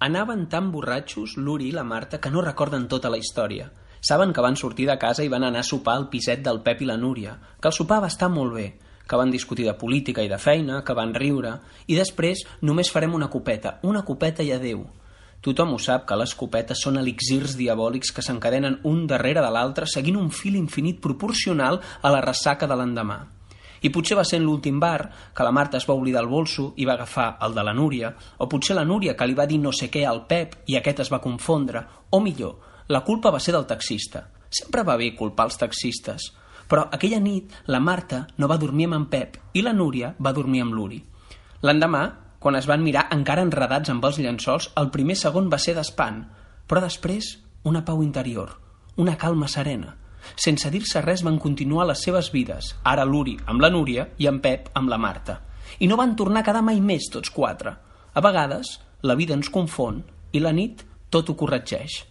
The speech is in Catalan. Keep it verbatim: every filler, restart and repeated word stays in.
Anaven tan borratxos l'Uri i la Marta que no recorden tota la història. Saben que van sortir de casa i van anar a sopar al piset del Pep i la Núria, que el sopar va estar molt bé, que van discutir de política i de feina, que van riure, i després només farem una copeta, una copeta i adeu. Tothom ho sap que les copetes són elixirs diabòlics que s'encadenen un darrere de l'altre seguint un fil infinit proporcional a la ressaca de l'endemà. I potser va ser en l'últim bar que la Marta es va oblidar el bolso i va agafar el de la Núria, o potser la Núria que li va dir no sé què al Pep i aquest es va confondre, o millor, la culpa va ser del taxista. Sempre va bé culpar els taxistes. Però aquella nit la Marta no va dormir amb en Pep i la Núria va dormir amb l'Uri. L'endemà, quan es van mirar encara enredats amb els llençols, el primer segon va ser d'espant, però després una pau interior, una calma serena. Sense dir-se res van continuar les seves vides, ara l'Uri amb la Núria i en Pep amb la Marta. I no van tornar a quedar mai més tots quatre. A vegades la vida ens confon i la nit tot ho corregeix.